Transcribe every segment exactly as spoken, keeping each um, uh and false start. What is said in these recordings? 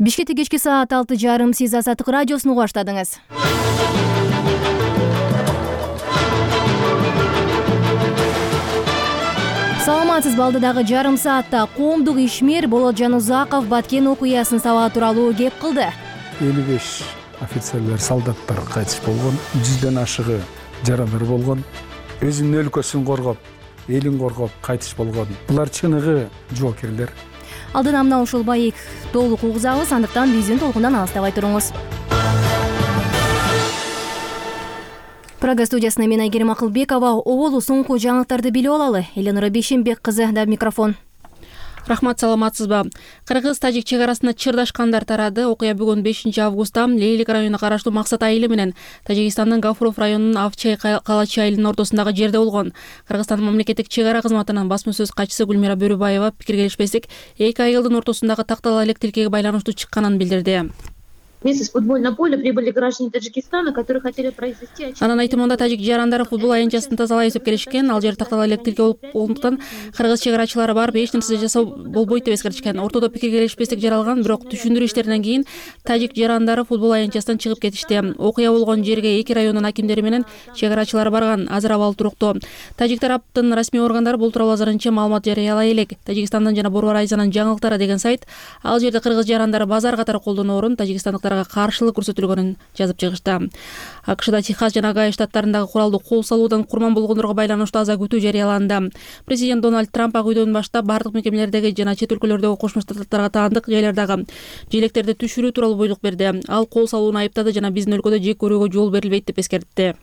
Бишкекте кечки саат алты жарым сиз Азаттык радиосун угуп баштадыңыз. Саламатсызбы, алдыдагы жарым саатта коомдук ишмер Болот Жанузаков Баткен окуясын сабаа тууралуу кеп кылды. элүү беш офицерлер, солдаттар кайтыш болгон, жүздөн ашыгы жарандар болгон. Өзүнүн өлкөсүн коргоп, элин коргоп кайтыш болгон. Булар чыныгы жоокерлер. Алдына мына ушул байык толук угузабыз, андыктан биздин толкундан алыстабай туруңуз. Прага студиясына мен Айгерим Акылбекова. Оболу соңку жаңылыктарды билип алалы. Эленора Бейшенбек кызы да микрофон. Рахмат, саламатсызбы. Кыргыз-тажик чек арасында чырдашкандар тарады. Окуя бүгүн бешинчи августта Лейлик районуна караштуу Максат айылы менен Тажикстандын Гафуров районунун Авчай Калачы айылынын ортосундагы жерде болгон. Кыргызстандын мамлекеттик чек ара кызматынын басма сөз катчысы Гүлмира Бөрүбаева пикир келишпестик эки айылдын ортосундагы тактала элек тилкеге байланыштуу чыкканын билдирди. Вместе с футбольного поля прибыли граждане Таджикистана, которые хотели произвести... Анын айтымында тажик жарандары футбол аянтчасын тазалайбыз деп келишкен. Ал жер тактала элек тилке болуп болгондуктан кыргыз чек арачылары барып эч нерсе жасоо болбойт деп эскертишкен. Ортодо пикир келишпестик жаралган, бирок түшүндүрүү иштеринен кийин тажик жарандары футбол аянтчасынан чыгып кетишти. Окуя болгон жерге эки райондун акимдери менен чек арачылары барган. Азыр абал туруктуу. Тажик тараптын расмий органдары бул тууралуу азырынча маалымат жарыялай элек. Тажикстандын жана Борбор Айзанын жаңылыктары деген сайт ал жерде кыргыз жарандары базар катары колдоноорун, тажикстандыктар каршылык көрсөтүлгөнүн жазып чыгышты. АКШда Техас жана Огайо штаттарындагы куралдуу кол салуудан курман болгондорго байланыштуу аза күтүү жарыяланды. Президент Дональд Трамп ак үйдөн баштап бардык мекемелердеги жана чет өлкөлөрдөгү Кошмо Штаттарга таандык жайлардагы желектерди түшүрүү тууралуу буйрук берди. Ал кол салууну айыптады жана биздин өлкөдө жек көрүүгө жол берилбейт деп эскертти.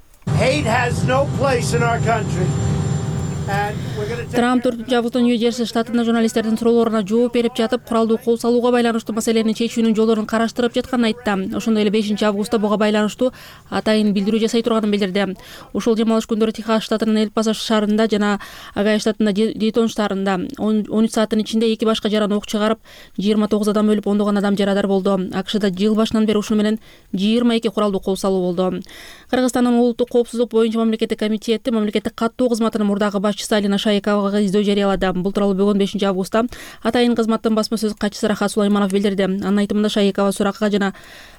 Трамп төртүнчү августта Нью-Джерси штатында журналисттердин суроолоруна жооп берип жатып, куралдуу кол салууга байланыштуу маселени чечүүнүн жолдорун караштырып жатканын айтты. Ошондой эле бешинчи августта буга байланыштуу атайын билдирүү жасай турганын билдирди. Ушул жем алыш күндөрү Техас штатынын Эль-Пасо шаарында жана Огайо штатында Дейтон шаарында он үч сааттын ичинде эки башка жаран ок чыгарып, жыйырма тогуз адам өлүп, ондогон адам жарадар болду. АКШда жыл башынан бери ушуну менен жыйырма эки куралдуу кол салуу болду. Кыргызстандын улуттук коопсуздук боюнча мамлекеттик комитети мамлекеттик каттоо кызматынын мурдагы башчысы Алина Шайковага издөө жарыялады. Бул тууралуу бүгүн бешинчи августта атайын кызматтын басма сөз катчысы Рахат Сулайманов билдирди. Анын айтымында Шайкова суракка жана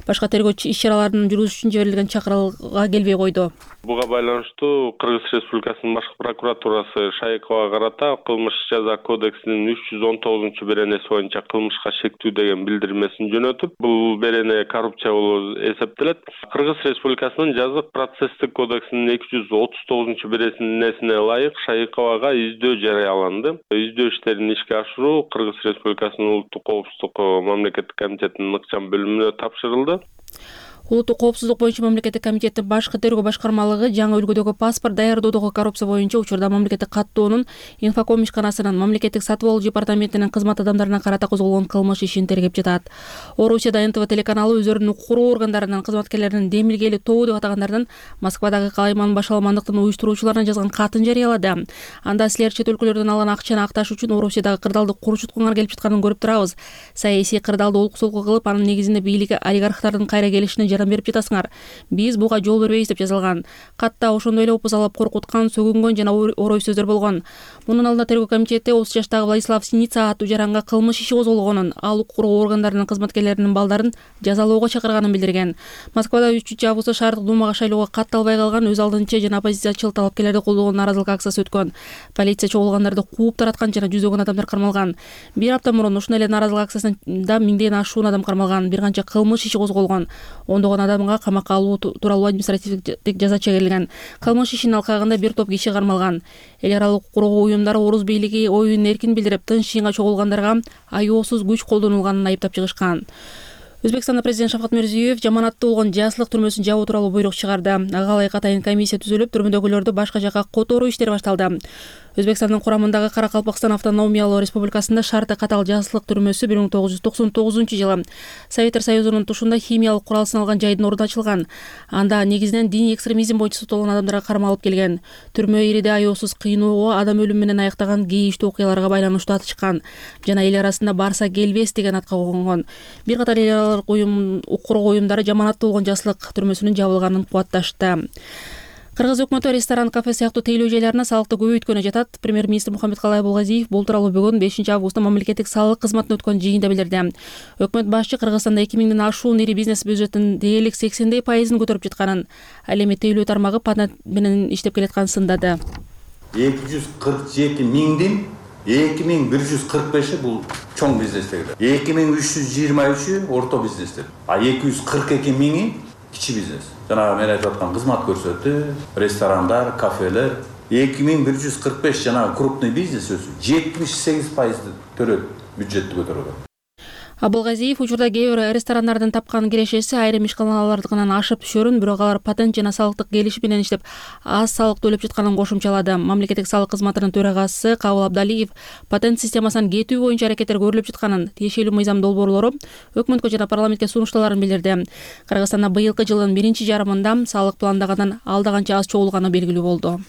башка тергөө иш-чараларын жүргүзүш үчүн жиберилген чакырылга келбей койду. Буга байланыштуу Кыргыз Республикасынын башкы прокуратурасы Шайковага карата кылмыш жаза кодексинин үч жүз он тогузунчу беренеси боюнча кылмышка шектүү деген билдирмесин жөнөтүп, бул берене коррупция болуп эсептелет. Кыргыз Республикасынын жазык процесстик кодексинин эки жүз отуз тогузунчу беренесине ылайык Шайковага издөө жарыяланды. Издөө иштерин ишке ашыруу Кыргыз Республикасынын улуттук коопсуздук мамлекеттик комитетинин ыкчам бөлүмүнө тапшырылды. Улуттук коопсуздук боюнча мамлекеттик комитеттин башкы тергөө башкармалыгы жаңы үлгүдөгү паспорт даярдоодогу коррупция боюнча учурда мамлекеттик каттоонун инфоком ишканасынын мамлекеттик сатып алуу департаментинин кызмат адамдарына карата козголгон кылмыш ишин тергеп жатат. Орусияда эн тэ вэ телеканалы өздөрүнүн укук органдарынын кызматкерлеринин демилгели тобу деп атагандардан Москвадагы калайман башаламандыктын уюштуруучуларына жазган катын жарыялады. Анда силер чет өлкөлөрдөн алган акчаны акташ үчүн Орусиядагы кырдаалды курчуткуңар келип жатканын көрүп турабыз. Саясий кырдаалды олку-солку кылып, анын негизинде бийлик олигархтардын кайра келишине берип жатасыңар. Биз буга жол бербейбиз деп жазылган. Катта ошондой эле опузалап коркуткан, сөгүнгөн жана орой сөздөр болгон. Мунун алдында тергөө комитети отуз жаштагы Владислав Синица аттуу жаранга кылмыш иши козголгонун, ал укук органдарынын кызматкерлеринин балдарын жазалоого чакырганын билдирген. Москвада үчүнчү августта шаардык думага шайлоого катталбай калган өз алдынча жана оппозициячыл талапкерлерди колдогон нааразылык акциясы өткөн. Полиция чогулгандарды кууп тараткан жана жүздөгөн адамдар кармалган. Бир апта мурун ушундай эле нааразылык акциясында миңден ашуун адам кармалган, бир канча кылмыш иши козголгон. Ондогон адамга камакка алуу тууралуу административдик жаза чегерилген. Кылмыш ишинин алкагында бир топ киши кармалган. Эл аралык куруу уюмдары Орус бийлиги оюн эркин билдирип, тынч жыйынга чогулгандарга аеосуз күч колдонулганын айыптап чыгышкан. Өзбекстанда президент Шавкат Мирзиёев жаманаттуу болгон жааслык түрмөсүн жабуу тууралуу буйрук чыгарды. Ага ылайык атайын комиссия түзүлүп, түрмөдөгүлөрдү башка жакка которуу иштери башталды. Өзбекстандын курамындагы Каракалпакстан автономиялуу республикасында шарты катал жааслык түрмөсү бир миң тогуз жүз токсон тогузунчу жылы Советтер Союзунун тушунда химиялык курал сыналган жайдын ордуна ачылган. Анда негизинен диний экстремизм боюнча соттолгон адамдарга кармалып келген. Түрмө ириде аеосуз кыйноого, адам өлүмү менен аяктаган кейиштүү окуяларга байланыштуу атышкан жана эл арасында барса келбес деген атка койгон. Бир катар эл аралык уюм укук уюмдары жаманаттуу болгон жааслык түрмөсүнүн жабылганын кубатташты. Кыргыз өкмөтү ресторан, кафе сыяктуу тейлөө жайларына салыкты көбөйткөнү жатат. Премьер-министр Мухаммедкалай Абылгазиев бул тууралуу бүгүн бешинчи августта мамлекеттик салык кызматында өткөн жыйында билдирди. Өкмөт башчы Кыргызстанда эки миңден ашуун ири бизнес бюджетин дээрлик сексендей пайызын көтөрүп жатканын, ал эми тейлөө тармагы патент менен иштеп келатканын сындады. эки жүз кырк эки миңдин эки миң бир жүз кырк беши бул чоң бизнестер. эки миң үч жүз жыйырма üçү орто бизнестер. А эки жүз кырк эки миңи кичи бизнес. Жана мен айтып аткан кызмат көрсөтүү, ресторандар, кафелер. эки миң бир жүз кырк беш жана крупный бизнес өсүп жетимиш сегиз пайызды төрөт, бюджетти көтөрөт. Абылгазиев учурда кээ бир ресторандардын тапкан кирешеси айрым ишканалардыкынан ашып түшөрүн, бирок алар патент жана салыктык келишим менен иштеп аз салык төлөп жатканын кошумчалады. Мамлекеттик салык кызматынын төрагасы Кабыл Абдалиев патент системасынан кетүү боюнча аракеттер көрүлүп жатканын, тиешелүү мыйзам долбоорлору өкмөткө жана парламентке сунушталарын билдирди. Кыргызстанда быйылкы жылдын биринчи жарымында салык пландагандан алда канча аз чогулганы белгилүү болду.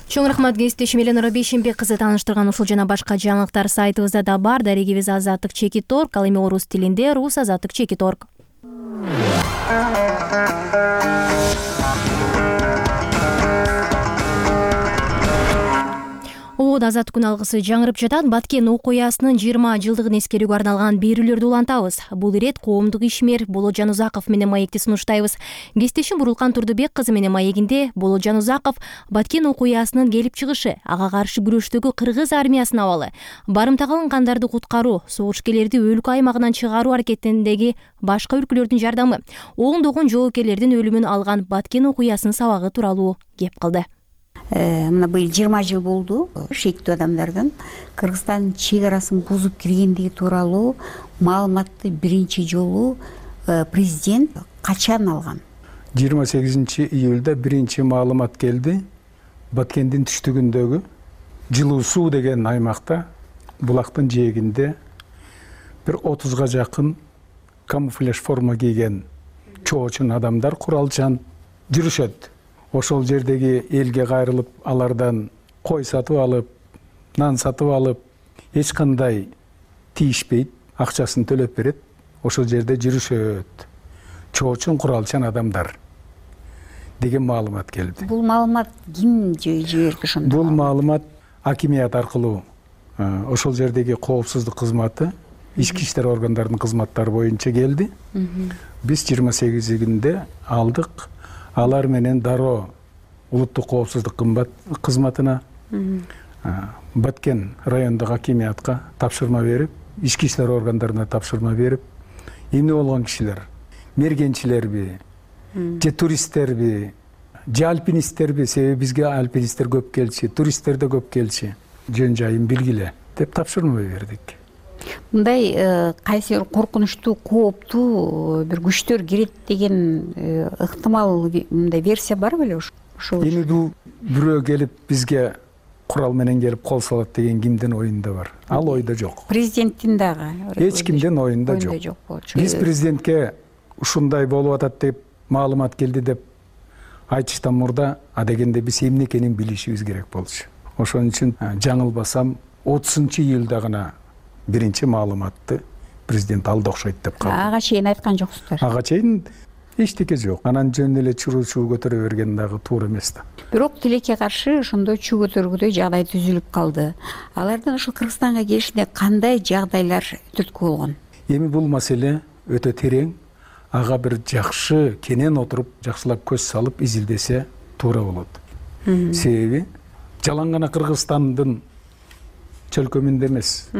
Чоң рахмат кесиптешим Эленора Бейшенбек кызы тааныштырган ушул жана башка жаңылыктар сайтыбызда да бар. Дарегибиз азаттык чекит точка орг, ал эми орус тилинде рус азаттык чекит точка орг. Ободо азаттык күн алгысы жаңырып жатат. Баткен окуясынын жыйырма жылдыгын эскерүүгө арналган берүүлөрдү улантабыз. Бул ирет коомдук ишмер Болот Жанузаков менен маекти сунуштайбыз. Кесиптешим Бурулкан Турдубек кызы менен маегинде Болот Жанузаков Баткен окуясынын келип чыгышы, ага каршы күрөштөгү кыргыз армиясынын абалы, барымтага алынгандарды куткаруу, согушкерлерди өлкө аймагынан чыгаруу аракетиндеги башка өлкөлөрдүн жардамы, ондогон жоопкерлердин өлүмүн алган Баткен окуясынын сабагы тууралуу кеп кылды. Мына быйыл жыйырма жыл болду шектүү адамдардын Кыргызстандын чек арасын бузуп киргендиги тууралуу маалыматты биринчи жолу президент качан алган? жыйырма сегизинчи июлда биринчи маалымат келди. Баткендин түштүгүндөгү Жылуу суу деген аймакта, булактын жээгинде бир отузга жакын камуфляж форма кийген чоочун адамдар куралчан жүрүшөт. Ошол жердеги элге кайрылып, алардан кой сатып алып, нан сатып алып, эч кандай тийишпейт, акчасын төлөп берет. Ошол жерде жүрүшөт. Чоочун куралчан адамдар деген маалымат келди. Бул маалымат ким жиберди ошондо? Бул маалымат акимият аркылуу ошол жердеги коопсуздук кызматы, ички иштер органдарынын кызматтары боюнча келди. Биз жыйырма сегизинде алдык. Алар менен дароо улуттук коопсуздук кызматына, Баткен райондук акимиятка тапшырма берип, ички иштер органдарына тапшырма берип, эмне болгон кишилер, мергенчилерби, же туристтерби, же альпинисттерби, себеби бизге альпинисттер көп келчү, туристтер да көп келчү, жөн жайын билгиле деп тапшырма бердик. Мындай кайсы бир коркунучтуу, кооптуу бир күчтөр кирет деген ыктымал мындай версия бар беле ошол? Эми бул бирөө келип бизге курал менен келип кол салат деген кимдин оюнда бар? Ал ойдо жок. Президенттин дагы эч кимдин оюнда жок. Биз президентке ушундай болуп атат деп маалымат келди деп айтыштан мурда адегенде биз эмне экенин билишибиз керек болчу. Ошон үчүн жаңылбасам отузунчу июлда гана биринчи маалыматты президент алды окшойт деп калды. Ага чейин айткан жоксуздар. Ага чейин эчтеке жок. Анан жөн эле чуруу чуу көтөрө берген дагы туура эмес да. Бирок тилекке каршы ошондой чуу көтөргүдөй жагдай түзүлүп калды. Алардын ошол Кыргызстанга келишинде кандай жагдайлар түрткү болгон? Эми бул маселе өтө терең. Ага бир жакшы кенен отуруп, жакшылап көз салып изилдесе туура болот. Себеби жалаң гана Кыргызстандын чөлкөмүндө эмес.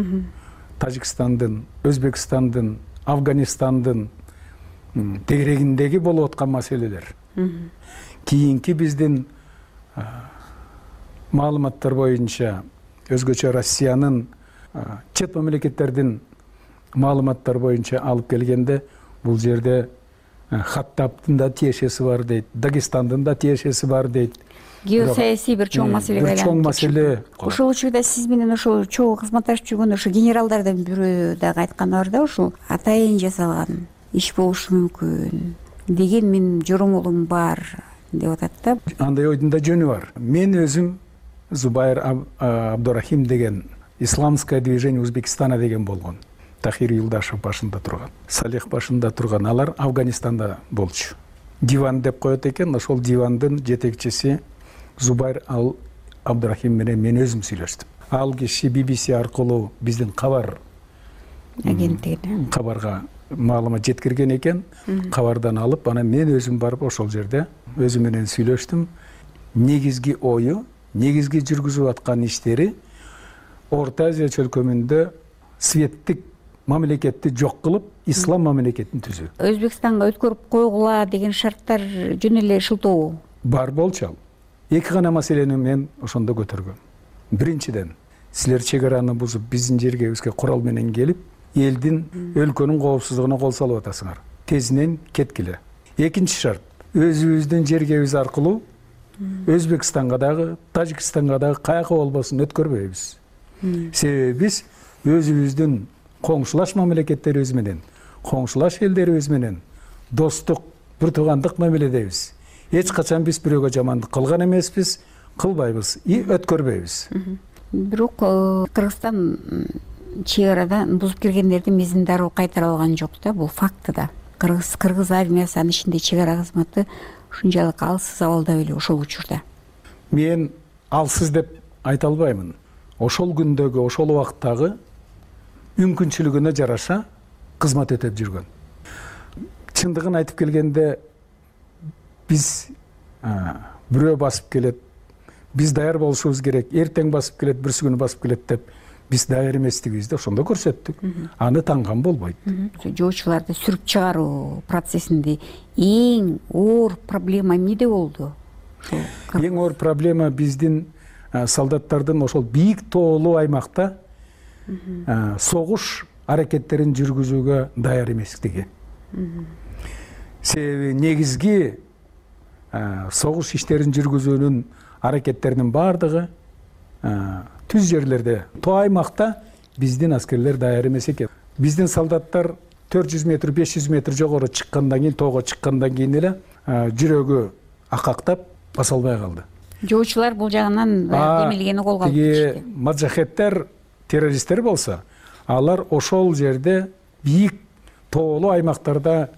Тажикстандын, Өзбекстандын, Афганистандын тегерегиндеги болуп аткан маселелер. Кийинки биздин маалыматтар боюнча өзгөчө Россиянын чет мамлекеттердин маалыматтар боюнча алып келгенде бул жерде Хаттабтын да тиешеси бар дейт, Дагестандын да тиешеси бар дейт. Геосаясий бир чоң маселе байланып. Бир чоң маселе. Ошол учурда сиз менен ошол чогуу кызматташып жүргөн ошо генералдардын бирөө дагы айтканы бар да, ушул атайын жасалган иш болушу мүмкүн деген менин жоромолум бар деп атат да. Андай ойдун да жөнү бар. Мен өзүм Зубайр Абдурахим деген исламское движение Узбекистана деген болгон. Тахир Юлдашев башында турган, Салих башында турган, алар Афганистанда болчу. диван деп коет экен. Ошол дивандын жетекчиси Зубайр Ал Абдрахим менен мен өзүм сүйлөштүм. Ал киши би би си аркылуу биздин кабар агенттигине кабарга маалымат жеткирген экен. Кабардан алып, анан мен өзүм барып ошол жерде өзү менен сүйлөштүм. Негизги ою, негизги жүргүзүп аткан иштери Орто Азия чөлкөмүндө светтик мамлекетти жок кылып, ислам мамлекетин түзүү. Өзбекстанга өткөрүп койгула деген шарттар жөн эле шылтоо бар болчу ал. Эки гана маселени мен ошондо көтөргөм. Биринчиден, силер чек араны бузуп биздин жергебизге курал менен келип, элдин, өлкөнүн коопсуздугуна кол салып атасыңар. Тезинен кеткиле. Экинчи шарт, өзүбүздүн жергебиз аркылуу Өзбекстанга дагы, Тажикстанга дагы каяка болбосун өткөрбөйбүз. Себеби биз өзүбүздүн коңшулаш мамлекеттерибиз менен, коңшулаш элдерибиз менен достук, бир туугандык мамиледебиз. Эч качан биз бирөөгө жамандык кылган эмеспиз, кылбайбыз и өткөрбөйбүз. Бирок Кыргызстан чек арадан бузуп киргендердин мизин дароо кайтара алган жок да, бул факты да. Кыргыз кыргыз армиясы, анын ичинде чек ара кызматы ушунчалык алсыз абалда беле ошол учурда. Мен алсыз деп айта албаймын. Ошол күндөгү, ошол убакыттагы мүмкүнчүлүгүнө жараша кызмат өтөп жүргөн. Чындыгын айтып келгенде биз бирөө басып келет, биз даяр болушубуз керек, эртең басып келет, бүрсү күнү басып келет деп биз даяр эместигибизди ошондо көрсөттүк. Аны танган болбойт. Жоочуларды сүрүп чыгаруу процессинде эң оор проблема эмнеде болду? Эң оор проблема биздин солдаттардын ошол бийик тоолуу аймакта согуш аракеттерин жүргүзүүгө даяр эместиги. Себеби негизги согуш иштерин жүргүзүүнүн аракеттеринин баардыгы түз жерлерде, тоо аймакта биздин аскерлер даяр эмес экен. Биздин солдаттар төрт жүз метр, беш жүз метр жогору чыккандан кийин, тоого чыккандан кийин эле жүрөгү акактап баса албай калды. Жоочулар бул жагынан демилгени колго алып кетишти. Маджахеттер, террористтер болсо, алар ошол жерде бийик тоолуу аймактарда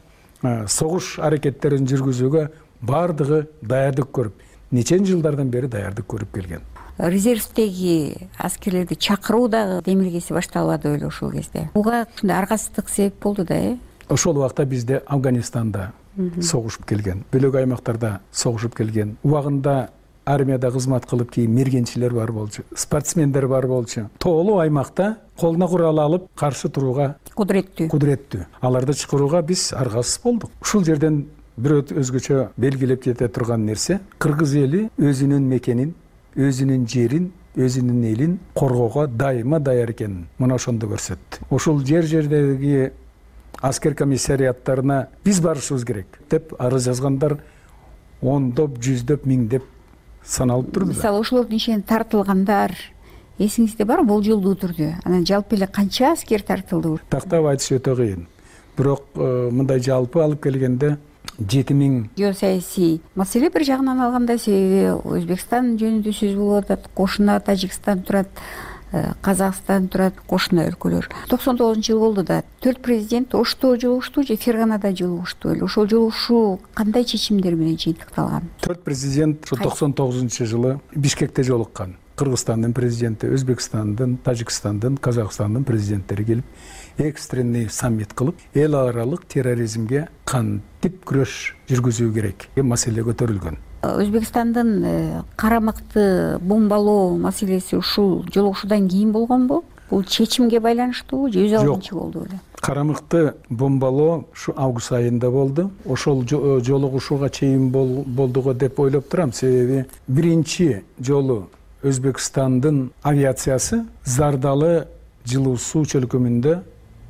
согуш аракеттерин жүргүзүүгө баардыгы даярдык көрүп, нечен жылдардан бери даярдык көрүп келген. Резервдеги аскерлерди чакыруу дагы демилгеси башталбады беле ошол кезде. Буга ушундай аргасыздык себеп болду да, э? Ошол убакта бизде Афганистанда согушуп келген, бөлөк аймактарда согушуп келген. Убагында армияда кызмат кылып кийин мергенчилер бар болчу, спортсмендер бар болчу. Тоолуу аймакта колуна курал алып каршы турууга кудуреттүү. Кудуреттүү. Аларды чакырууга биз аргасыз болдук. Ушул жерден бир өзгөчө белгилеп кете турган нерсе, кыргыз эли өзүнүн мекенин, өзүнүн жерин, өзүнүн элин коргоого дайыма даяр экенин мына ошондо көрсөттү. Ошол жер жердеги аскер комиссариаттарына биз барышыбыз керек деп арыз жазгандар ондоп, жүздөп, миңдеп саналып турду. Мисалы ошолордун ичинен тартылгандар эсиңизде бар, болжолдуу түрдө? Анан жалпы эле канча аскер тартылды? Тактап айтыш өтө кыйын. Бирок мындай жалпы алып келгенде жети миң. Геосаясий маселе бир жагынан алганда, себеби Өзбекстан жөнүндө сөз болуп атат, кошуна Тажикстан турат, Казакстан турат, кошуна өлкөлөр. токсон тогузунчу жыл болду да, төрт президент Ошто жолугушту же Ферганада жолугушту эле. Ошол жолугушуу кандай чечимдер менен жыйынтыкталган? Төрт президент ушу токсон тогузунчу жылы Бишкекте жолуккан. Кыргызстандын президенти, Өзбекстандын, Тажикстандын, Казакстандын президенттери келип, экстренный саммит кылып, эл аралык терроризмге кантип күрөш жүргүзүү керек деген маселе көтөрүлгөн. Өзбекстандын карамыкты бомбалоо маселеси ушул жолугушуудан кийин болгонбу? Бул чечимге байланыштуубу же өз алдынча болду беле? Карамыкты бомбалоо ушу август айында болду. Ошол жолугушууга чейин болду го деп ойлоп турам, себеби биринчи жолу Өзбекстандын авиациясы Зардалы жылуу суу чөлкөмүндө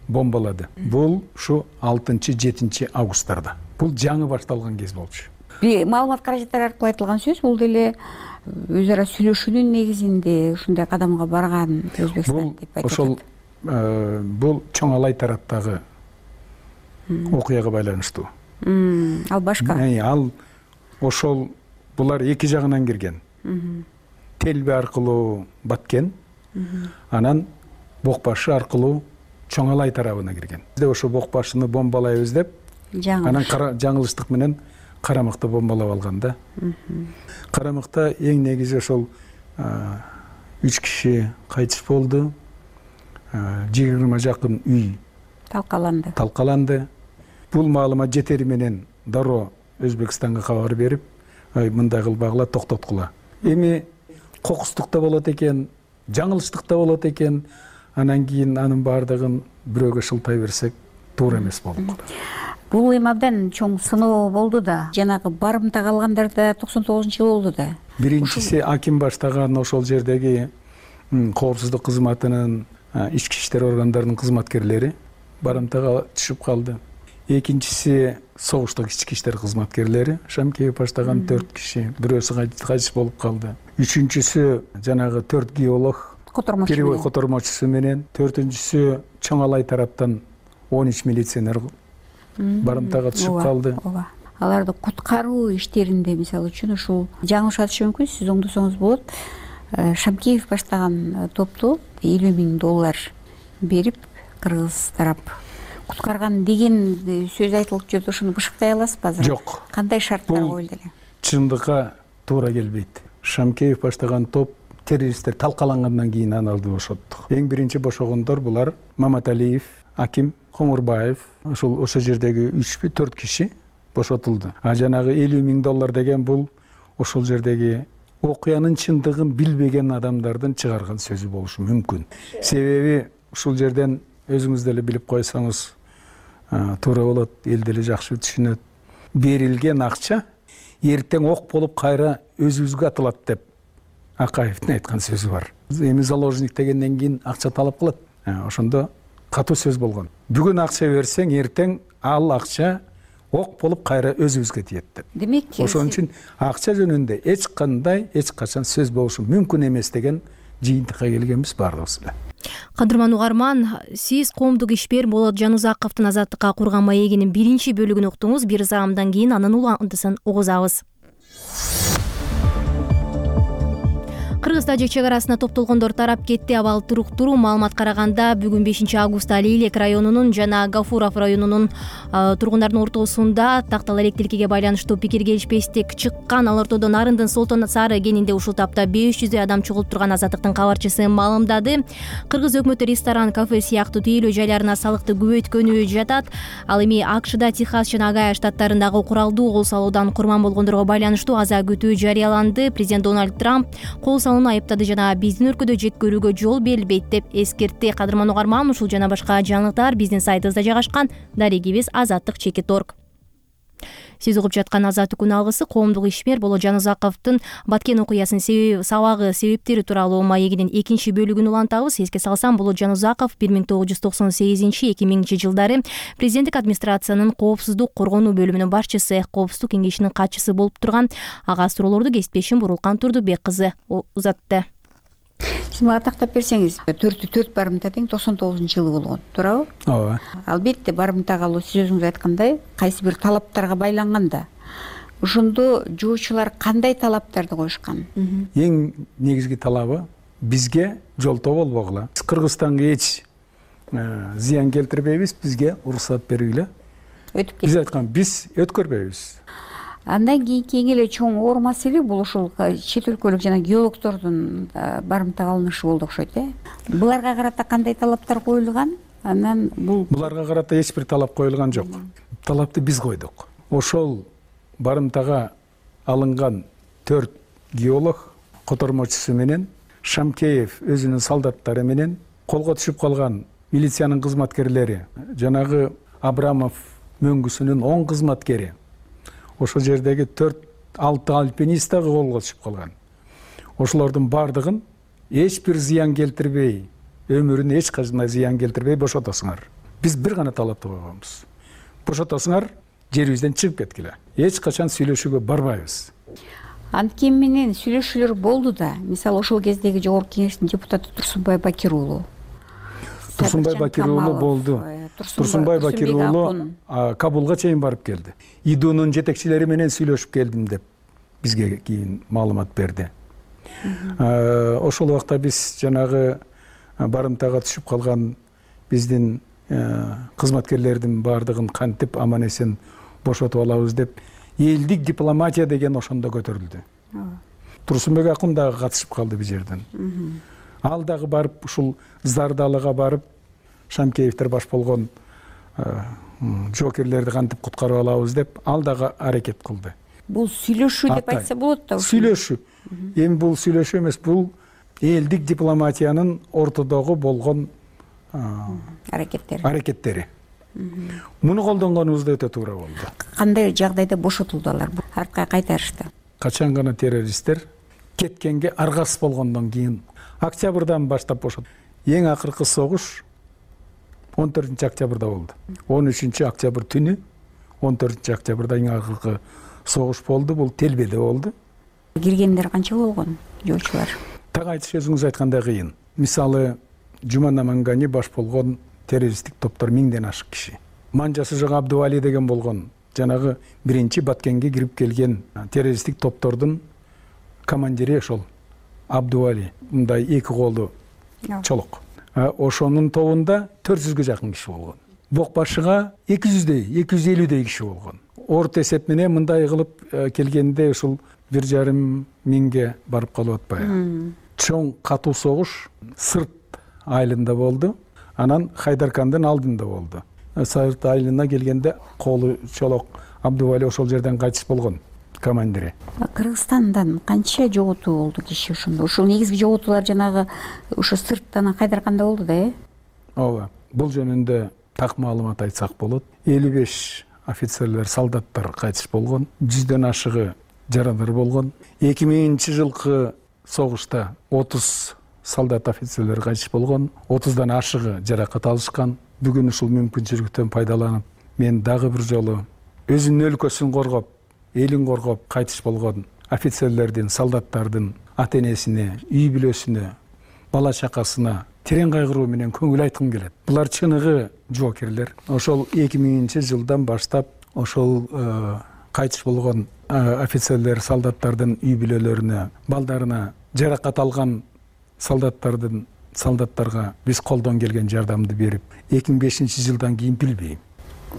бомбалады. Бул ушу алтынчы жетинчи августтарда. Бул жаңы башталган кез болчу. Маалымат каражаттары аркылуу айтылган сөз, бул деле өз ара сүйлөшүүнүн негизинде ушундай кадамга барган Өзбекстан деп айтылат. Ошол бул Чоң Алай тараптагы окуяга байланыштуу. Ал башка. Ал ошол булар эки жагынан кирген. Телби аркылуу Баткен, анан Бокбашы аркылуу Чоң Алай тарабына кирген. Бизде ошо Бокбашыны бомбалайбыз деп, анан жаңылыштык менен Карамыкты бомбалап алган да. Карамыкта эң негизи ошол үч киши кайтыш болду. жыйырма жакын үй талкаланды. Талкаланды. Бул маалымат жетери менен дароо Өзбекстанга кабар берип, мындай кылбагыла, токтоткула. Эми кокустук да болот экен, жаңылыштык да болот экен. Анан кийин анын баардыгын бирөөгө шылтай берсек туура эмес болуп калат. Бул эми абдан чоң сыноо болду да, жанагы барымта калгандар да токсон тогузунчу жылы болду да. Биринчиси Аким баштаган ошол жердеги коопсуздук кызматынын ички иштер органдарынын кызматкерлери барымтага түшүп калды. Экинчиси согуштук ички иштер кызматкерлери Шамкеев баштаган төрт киши, бирөөсү кайтыш болуп калды. Үчүнчүсү жанагы төрт геолог перевой котормочусу менен, төртүнчүсү Чоңалай тараптан он үч милиционер барымтага түшүп калды. Аларды куткаруу иштеринде мисалы үчүн ушул жаңылыш атышы мүмкүн, сиз оңдосоңуз болот. Шамкеев баштаган топту элүү миң доллар берип кыргыз тарап куткарган деген сөз айтылып жүрдү. Ошону бышыктай аласызбы азыр? Жок. Кандай шарттар коюлду эле? Чындыкка туура келбейт. Шамкеев баштаган топ террористтер талкалангандан кийин аны алды бошоттук. Эң биринчи бошогондор булар Маматалиев, Аким, Коңурбаев, ошол ошо жердеги үч төрт киши бошотулду. А жанагы элүү миң доллар деген бул ошол жердеги окуянын чындыгын билбеген адамдардын чыгарган сөзү болушу мүмкүн. Себеби ушул жерден өзүңүз деле билип койсоңуз туура болот, эл деле жакшы түшүнөт. Берилген акча эртең ок болуп кайра өзүбүзгө атылат деп Акаевдин айткан сөзү бар. Эми заложник дегенден кийин акча талап кылат. Ошондо катуу сөз болгон. Бүгүн акча берсең, эртең ал акча ок болуп кайра өзүбүзгө тиет деп. Демек, ошон үчүн акча жөнүндө эч кандай, эч качан сөз болушу мүмкүн эмес деген жыйынтыкка келгенбиз баардыгыбыз эле. Кадырман угарман, сиз коомдук ишмер Болот Жанузаковдун азаттыкка курган маегинин биринчи бөлүгүн уктуңуз. Бир заамдан кийин анын уландысын угузабыз. Кыргыз-Тажик чек арасына топтолгондор тарап кетти. Абал туруктуу маалымат караганда бүгүн бешинчи августта Лейлек районунун жана Гафуров районунун тургундардын ортосунда тактал электрликке байланыштуу пикир келишпестик чыккан. Ал ортодон Нарындын Солтон Сары кенинде ушул тапта беш жүздөй адам чогулуп турган Азаттыктын кабарчысы маалымдады. Кыргыз өкмөтү ресторан, кафе сыяктуу тейлөө жайларына салыкты көбөйткөнү жатат. Ал эми АКШда, Техас жана Огайо штаттарындагы куралдуу кол салуудан курман болгондорго байланыштуу аза күтүү жарыяланды. Президент Дональд Трамп кол айыптады жана биздин өлкөдө жек көрүүгө жол берилбейт деп эскертти. Кадырман угарман, ушул жана башка жаңылыктар биздин сайтыбызда жайгашкан. Дарегибиз азаттык чекит точка орг. Сиз угуп жаткан Азаттык күн алгысы коомдук ишмер Болот Жанузаковдун Баткен окуясынын себеби сабагы себептери тууралуу маегинин экинчи бөлүгүн улантабыз. Эске салсам, Болот Жанузаков бир миң тогуз жүз токсон сегизинчи эки миңинчи жылдары президенттик администрациянын коопсуздук коргонуу бөлүмүнүн башчысы, коопсуздук кеңешинин катчысы болуп турган. Ага суроолорду кесиптешим Бурулкан Турдубек кызы узатты. Сиз мага тактап берсеңиз, төрттү төрт барымта тең токсон тогузунчу жылы болгон, туурабы? Ооба. Албетте барымта калуу сиз өзүңүз айткандай кайсы бир талаптарга байланган да. Ошондо жоочулар кандай талаптарды коюшкан? Эң негизги талабы бизге жолтоо болбогула. Биз Кыргызстанга эч зыян келтирбейбиз, бизге уруксат бергиле. Өтүп Биз айткан, биз өткөрбөйбүз. Андан кийинки эң эле чоң оор маселе бул ушул чет өлкөлүк жана геологдордун барымта кылынышы болду окшойт, э? Буларга карата кандай талаптар коюлган? Анан бул Буларга карата эч бир талап коюлган жок. Талапты биз койдук. Ошол барымтага алынган төрт геолог котормочусу менен Шамкеев өзүнүн солдаттары менен колго түшүп калган милициянын кызматкерлери, жанагы Абрамов мөңгүсүнүн он кызматкери, ошол жердеги төрт алты альпинист дагы колго түшүп калган. Ошолордун бардыгын эч бир зыян келтирбей, өмүрүнө эч кандай зыян келтирбей бошотосуңар. Биз бир гана талапты койгонбуз. Бошотосуңар, жерибизден чыгып кеткиле. Эч качан сүйлөшүүгө барбайбыз. Анткени менен сүйлөшүүлөр болду да. Мисалы ошол кездеги жогорку кеңештин депутаты Турсунбай Бакир уулу. Турсунбай Бакир уулу болду. Турсунбай Бакир уулу Кабулга чейин барып келди. ИДУнун жетекчилери менен сүйлөшүп келдим деп бизге кийин маалымат берди. Ошол убакта биз жанагы барымтага түшүп калган биздин кызматкерлердин баардыгын кантип аман эсен бошотуп алабыз деп элдик дипломатия деген ошондо көтөрүлдү. Турсунбек акун дагы катышып калды бул жерден. Ал дагы барып ушул Зардалыга барып Шамкеевдер баш болгон жокерлерди кантип куткарып алабыз деп ал дагы аракет кылды. Бул сүйлөшүү деп айтса болот да. Сүйлөшүү. Эми бул сүйлөшүү эмес, бул элдик дипломатиянын ортодогу болгон аракеттери. Аракеттери. Муну колдонгонубузда өтө туура болду. Кандай жагдайда бошотулду алар? Артка кайтарышты. Качан гана террористтер кеткенге аргасыз болгондон кийин октябрдан баштап бошот. Эң акыркы согуш он төртүнчү октябрда болду. он үчүнчү октябрь түнү он төртүнчү октябрда эң акыркы согуш болду. Бул Телбеде болду. Киргендер канча болгон жоочулар? Так айтыш өзүңүз айткандай кыйын. Мисалы Жумана Мангани баш болгон террористтик топтор миңден ашык киши. Манжасы жок Абдували деген болгон жанагы биринчи Баткенге кирип келген террористтик топтордун командири ошол Абдували. Мындай эки колу чолок. Ошонун тобунда төрт жүзгө жакын киши болгон. Бок башыга эки жүздөй, эки жүз элүүдөй киши болгон. Орто эсеп менен мындай кылып келгенде ушул бир жарым миңге барып калып атпайбы. Чоң катуу согуш Сырт айылында болду. Анан Хайдаркандын алдында болду. Сырт айылына келгенде колу чолок Абдували ошол жерден кайтыш болгон командири. Кыргызстандан канча жоготуу болду киши ошондо? Ушул негизги жоготуулар жанагы ушу Сырттан Хайдарканда болду да, э? Ооба. Бул жөнүндө так маалымат айтсак болот. элүү беш офицерлер, солдаттар кайтыш болгон. жүздөн ашыгы жарадар болгон. эки миңинчи жылкы согушта отуз солдат, офицерлер кайтыш болгон. отуздан ашыгы жаракат алышкан. Бүгүн ушул мүмкүнчүлүктөн пайдаланып, мен дагы бир жолу өзүнүн өлкөсүн коргоп, элин коргоп кайтыш болгон офицерлердин, солдаттардын ата-энесине, үй бүлөсүнө, бала чакасына терең кайгыруу менен көңүл айткым келет. Булар чыныгы жоокерлер. Ошол эки миңинчи жылдан баштап ошол кайтыш болгон офицерлер, солдаттардын үй бүлөлөрүнө, балдарына жаракат алган солдаттардын солдаттарга биз колдон келген жардамды берип, эки миң бешинчи жылдан кийин билбейм.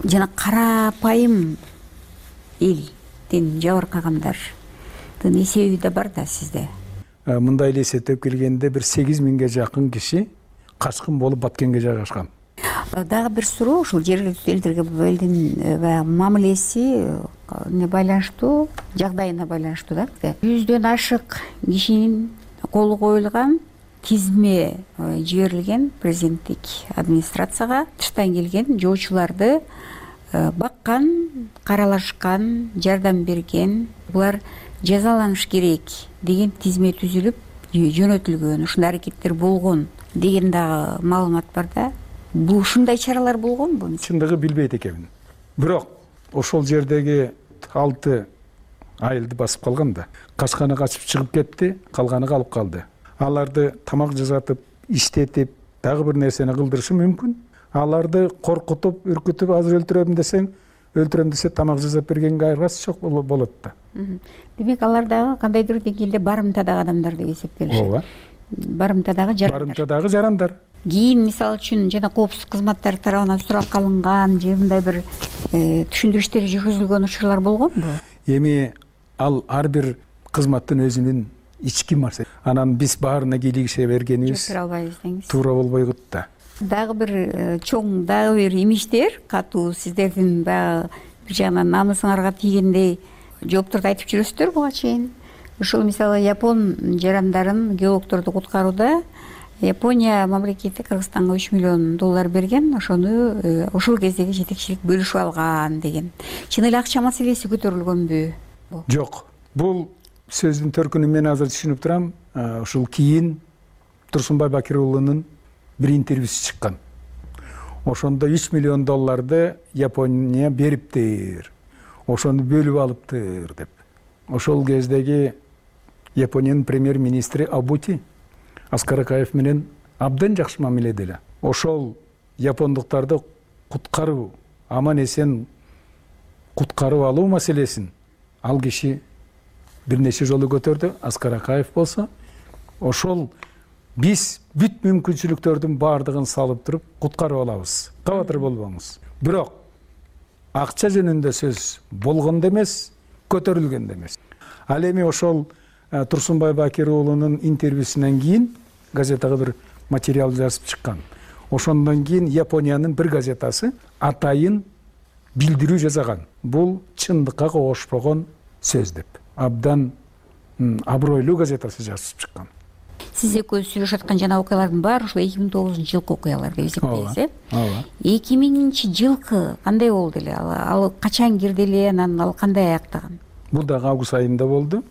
Жана карапайым элдин жабыркагандардын эсеби да бар да сизде. Мындай эле эсептеп келгенде бир сегиз миңге жакын киши качкын болуп Баткенге жайгашкан. Дагы бир суроо, ушул жергиликтүү элдерге бул элдин мамилеси не байланыштуу, жагдайына байланыштуу да. Жүздөн ашык кишинин колу коюлган тизме жиберилген президенттик администрацияга тыштан келген жоочуларды баккан, каралашкан, жардам берген, булар жазаланыш керек деген тизме түзүлүп жөнөтүлгөн, ушундай аракеттер болгон деген дагы маалымат бар да. Бул ушундай чаралар болгонбу? Чындыгы билбейт экенмин. Бирок ошол жердеги алты айылды басып калган да. Качканы качып чыгып кетти, калганы калып калды. Аларды тамак жасатып, иштетип, дагы бир нерсени кылдырышы мүмкүн. Аларды коркутуп, үркүтүп, азыр өлтүрөм десең, өлтүрөм десе тамак жасап бергенге айыргасы жок болот да. Демек алар дагы кандайдыр деңгээлде барымтадагы адамдар деп эсептелишет. Ооба. Барымтадагы жарандар. Барымтадагы жарандар. Кийин мисалы үчүн жана коопсуздук кызматтары тарабынан сурап калынган же мындай бир түшүндүрүштөр жүргүзүлгөн учурлар болгонбу? Эми ал ар бир кызматтын өзүнүн ички маселе. Анан биз баарына кийлигише бергенибиз Жок албайбыз деңиз. Туура болбойт да. Дагы бир чоң дагы бир имиштер катуу сиздердин баягы бир жагынан намысыңарга тийгендей жоопторду айтып жүрөсүздөр буга чейин. Ушул мисалы Япон жарандарын, геологдорду куткарууда Япония мамлекети Кыргызстанга үч миллион доллар берген, ошону ошол кездеги жетекчилик бөлүшүп алган деген. Чын эле акча маселеси көтөрүлгөнбү? Жок. Бул сөздүн төркүнүн мен азыр түшүнүп турам. Ушул кийин Турсунбай Бакир уулунун бир интервьюсу чыккан. Ошондо үч миллион долларды Япония бериптир. Ошону бөлүп алыптыр деп. Ошол кездеги Япониянын премьер-министри Абути Аскар Акаев менен абдан жакшы мамиледе эле. Ошол япондуктарды куткаруу, аман эсен куткарып алуу маселесин ал киши бир нече жолу көтөрдү. Аскар Акаев болсо ошол биз бүт мүмкүнчүлүктөрдүн баардыгын салып туруп куткарып алабыз. Кабатыр болбоңуз. Бирок акча жөнүндө сөз болгондо эмес, көтөрүлгөн да эмес. Ал эми ошол Турсунбай Бакир уулунун интервьюсунан кийин газетага бир материал жазып чыккан. Ошондон кийин Япониянын бир газетасы атайын билдирүү жасаган. Бул чындыкка кошпогон сөз деп. Абдан абройлуу газетасы жазып чыккан. Сиз экөөбүз сүйлөшүп аткан жана окуялардын баары ушул эки миң тогузунчу жылкы окуялар деп эсептейсиз, э? Ооба. эки миңинчи жылкы кандай болду эле? Ал качан кирди эле, анан ал кандай аяктаган? Бул дагы август айында болду.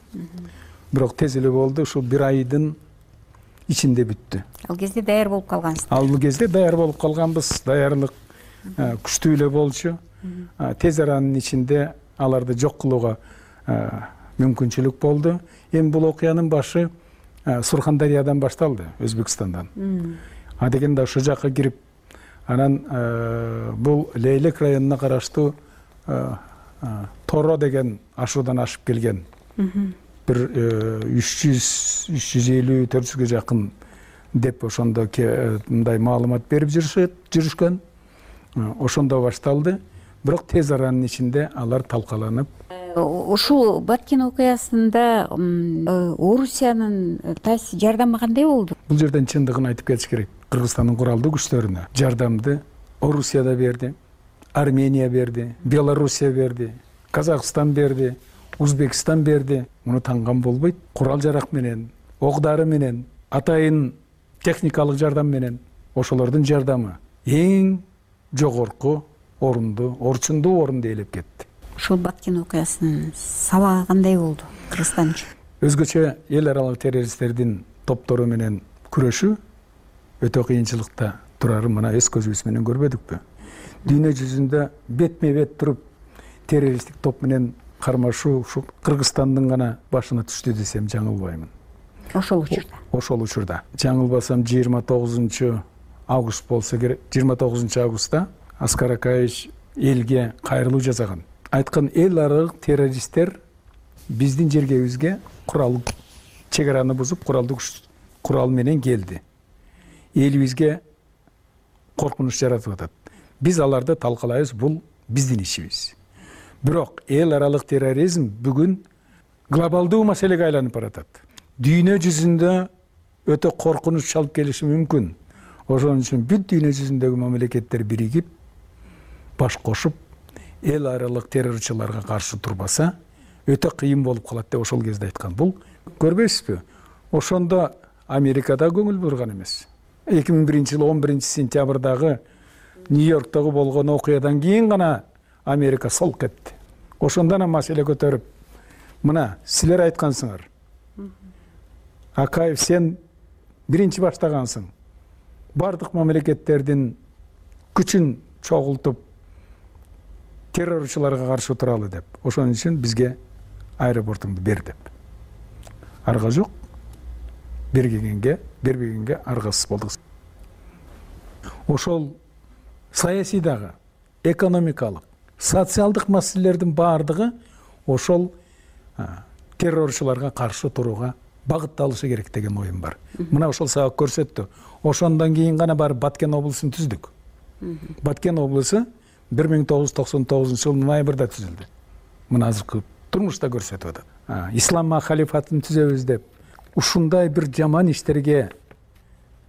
Бирок тез эле болду. Ушул бир айдын ичинде бүттү. Ал кезде даяр болуп калгансыз. Ал кезде даяр болуп калганбыз. Даярдык күчтүү эле болчу. Тез аранын ичинде аларды жок кылууга мүмкүнчүлүк болду. Эми бул окуянын башы Сурхандариядан башталды, Өзбекстандан. А дегенде ошол жакка кирип, анан бул Лейлек районуна караштуу Торо деген ашуудан ашып келген. Бир үч жүз үч жүз элүү төрт жүзгө жакын деп ошондо мындай маалымат берип жүрүшкөн. Ошондо башталды. Бирок тез аранын ичинде алар талкаланып. Ушул Баткен окуясында Орусиянын таасири жардамы кандай болду? Бул жерден чындыгын айтып кетиш керек. Кыргызстандын куралдуу күчтөрүнө жардамды Орусия да берди, Армения берди, Белоруссия берди, Казакстан берди, Узбекстан берди. Муну танган болбойт. Курал жарак менен, ок-дары менен, атайын техникалык жардам менен ошолордун жардамы эң жогорку орунду, орчундуу орунду ээлеп кетти. Ушул Баткен окуясынын сабагы кандай болду Кыргызстан үчүн? Өзгөчө эл аралык террористтердин топтору менен күрөшүү өтө кыйынчылыкта турарын мына өз көзүбүз менен көрбөдүкпү? Дүйнө жүзүндө бетме бет туруп террористтик топ менен кармашуу ушу Кыргызстандын гана башына түштү десем жаңылбаймын. Ошол учурда. Ошол учурда. Жаңылбасам жыйырма тогузунчу август болсо керек. жыйырма тогузунчу августта Аскар Акаевич элге кайрылуу жасаган. Айткан, эл аралык террористтер биздин жергебизге курал чек араны бузуп, куралдуу курал менен келди. Элибизге коркунуч жаратып атат. Биз аларды талкалайбыз, бул биздин ишибиз. Бирок эл аралык терроризм бүгүн глобалдуу маселеге айланып баратат. Дүйнө жүзүндө өтө коркунуч алып келиши мүмкүн. Ошон үчүн бүт дүйнө жүзүндөгү мамлекеттер биригип, баш кошуп, эл аралык террорчуларга каршы турбаса, өтө кыйын болуп калат деп ошол кезде айткан. Бул көрбөйсүзбү? Ошондо Америкада көңүл бурган эмес. эки миң биринчи жылы он биринчи сентябрдагы Нью-Йорктогу болгон окуядан кийин гана Америка солк кетти. Ошондон эле маселе көтөрүп, мына силер айткансыңар. Акаев, сен биринчи баштагансың. Бардык мамлекеттердин күчүн чогултуп террорчуларга каршы туралы деп. Ошон үчүн бизге аэропортуңду бер деп. Арга жок. Бергенге, бербегенге аргасыз болдук. Ошол саясий дагы, экономикалык, социалдык маселелердин баардыгы ошол террорчуларга каршы турууга багытталышы керек деген оюм бар. Мына ошол сабак көрсөттү. Ошондон кийин гана бар Баткен облусун түздүк. Баткен облусу бир миң тогуз жүз токсон тогузунчу жылы ноябрда түзүлдү. Мына азыркы турмушта көрсөтүп атат. Ислам халифатын түзөбүз деп ушундай бир жаман иштерге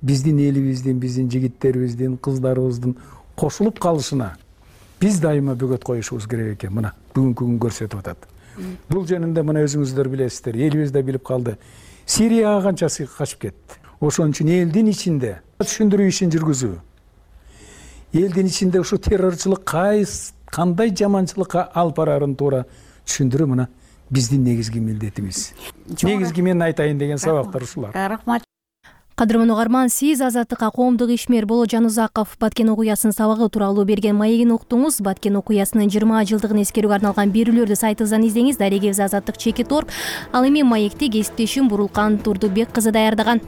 биздин элибиздин, биздин жигиттерибиздин, кыздарыбыздын кошулуп калышына биз дайыма бөгөт коюшубуз керек экен. Мына бүгүнкү күн көрсөтүп атат. Бул жөнүндө мына өзүңүздөр билесиздер, элибиз да билип калды. Сирияга канчасы качып кетти. Ошон үчүн элдин ичинде түшүндүрүү ишин жүргүзүү. Элдин ичинде ушу террорчулук кайсы кандай жаманчылыкка алып барарын туура түшүндүрүү мына биздин негизги милдетибиз. Негизги мен айтайын деген сабактар ушулар. Рахмат. Кадырман угарман, сиз Азаттыкка коомдук ишмер Боло Жанузаков Баткен окуясынын сабагы тууралуу берген маегин уктуңуз. Баткен окуясынын жыйырма жылдыгын эскерүүгө арналган берүүлөрдү сайтыбыздан издеңиз. Дарегебиз Азаттык чеки торп. Ал эми маекти кесиптешим Бурулкан Турдубек кызы даярдаган.